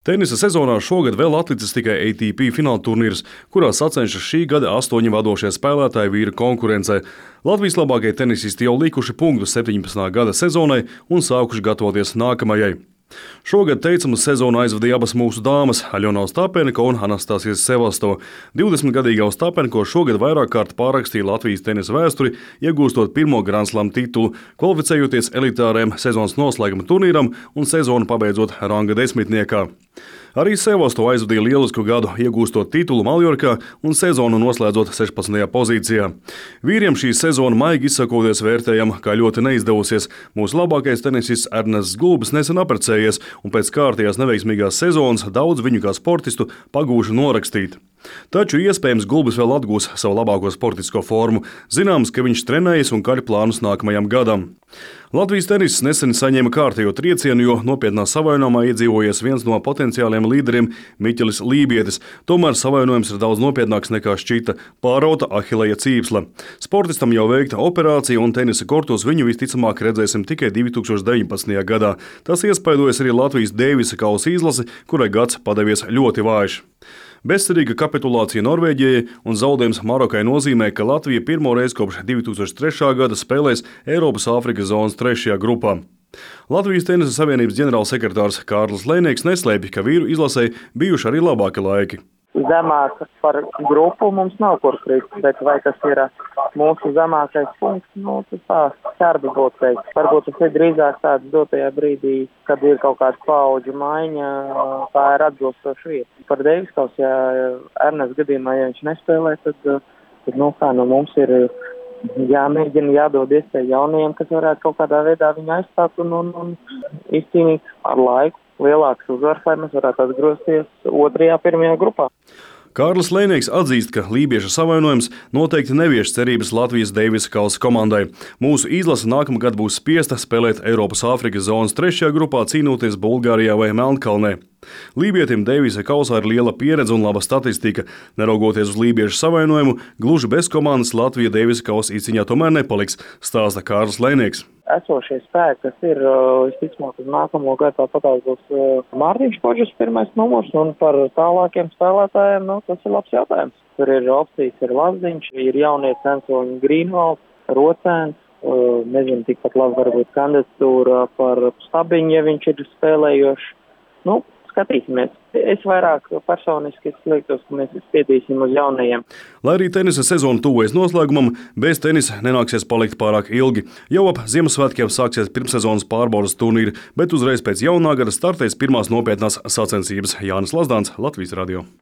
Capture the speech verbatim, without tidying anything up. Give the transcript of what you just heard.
Tenisa sezonā šogad vēl atlicis tikai A T P fināla turnīrs, kurā sacenšas šī gada astoņi vadošie spēlētāji vīru konkurencē. Latvijas labākie tenisisti jau likuši punktus septiņpadsmitā gada sezonai un sākuši gatavoties nākamajai. Šogad teicamu sezonu aizvadīja abas mūsu dāmas – Aļona Ostapenko un Anastasija Sevastova. divdesmitgadīgā Ostapenko šogad vairāk kārt pārrakstīja Latvijas tenisa vēsturi, iegūstot pirmo Grand Slam titulu, kvalificējoties elitāriem sezonas noslēguma turnīram un sezonu pabeidzot ranga desmitniekā. Arī Sevastova aizvadīja lielisku gadu, iegūstot titulu Maljorkā un sezonu noslēdzot sešpadsmitajā pozīcijā. Vīriem šī sezona maigi izsakoties vērtējam, kā ļoti neizdevusies. Mūsu labākais tenisists Ernests Gulbis nesen apprecējies un pēc kārtējās neveiksmīgās sezonas daudz viņu kā sportistu pagūši norakstīt. Taču iespējams Gulbis vēl atgūs savu labāko sportisko formu. Zināms, ka viņš trenējas un kaļ plānus nākamajam gadam. Latvijas tenisis nesen saņēma kārtējo triecienu, jo nopietnā savainojumā iedzīvojies viens no potenciāliem līderiem Miķelis Lībietis. Tomēr savainojums ir daudz nopietnāks nekā šķita – pārauta ahileja cīpsle. Sportistam jau veikta operācija un tenisa kortos viņu visticamāk redzēsim tikai divi tūkstoši deviņpadsmitajā gadā. Tas iespaidojas arī Latvijas Deivisa kausa izlasi, kurai gads padevies ļoti vājš. Bezcerīga kapitulācija Norvēģijai un zaudējums Marokai nozīmē, ka Latvija pirmo reizi kopš divi tūkstoši trešā gada spēlēs Eiropas Āfrikas zonas trešajā grupā. Latvijas tenisa savienības ģenerālsekretārs Kārlis Lēnieks neslēpj, ka vīru izlasē bijuši arī labāki laiki. Zemāk par grupu mums nav kur krist, bet vai tas ir mūsu zemākais punkts, nu, tas tā skarbi būtu teikt. Varbūt tas ir drīzāk tāds dotajā brīdī, kad ir kaut kāda paudžu maiņa, tā ir atbilstoša vieta. Par Deivis kausu, ja Ernests gadījumā, ja viņš nespēlē, tad, tad nu, kā, nu, mums ir jāmēģina jādod iespēju jaunajiem, kas varētu kaut kādā veidā viņu aizstāt un, un, un izcīnīt ar laiku lielāks uzvars, lai mēs varētu atgrozties otrajā, pirmajā grupā. Kārlis Lēnieks atzīst, ka lībieša savainojums noteikti nevieš cerības Latvijas Deivisa kausa komandai. Mūsu izlase nākamgad būs spiesta spēlēt Eiropas Āfrikas zonas trešajā grupā, cīnoties Bulgārijā vai Melnkalnē. Lībietim Deivisa kausā ir liela pieredze un laba statistika. Neraugoties uz lībiešu savainojumu, gluži bez komandas Latvija Deivisa kausa izcīņā tomēr nepaliks, stāsta Kārlis Lēnieks. Esošie spēki, kas ir, visticamāk, uz nākamo gadu tāpatās būs Mārtiņš Koģis pirmais numurs, un par tālākiem spēlētājiem, nu, tas ir labs jautājums. Tur ir opcijas, ir Lazdiņš, ir jaunie censoņi Grīnvalds, Rocēns, nezinu, tikpat labi varbūt kandidatūra par Stabiņu, ja viņš ir spēlējošs. Nu, skatīsimies. Es vairāk personiski liekas, ka mēs spietīsim uz jaunajiem. Lai arī tenisa sezona tuvojas noslēgumam, bez tenisa nenāksies palikt pārāk ilgi. Jau ap Ziemassvētkiem sāksies pirmssezonas pārbaudas turnīri, bet uzreiz pēc jaunā gada startēs pirmās nopietnās sacensības. Jānis Lazdāns, Latvijas radio.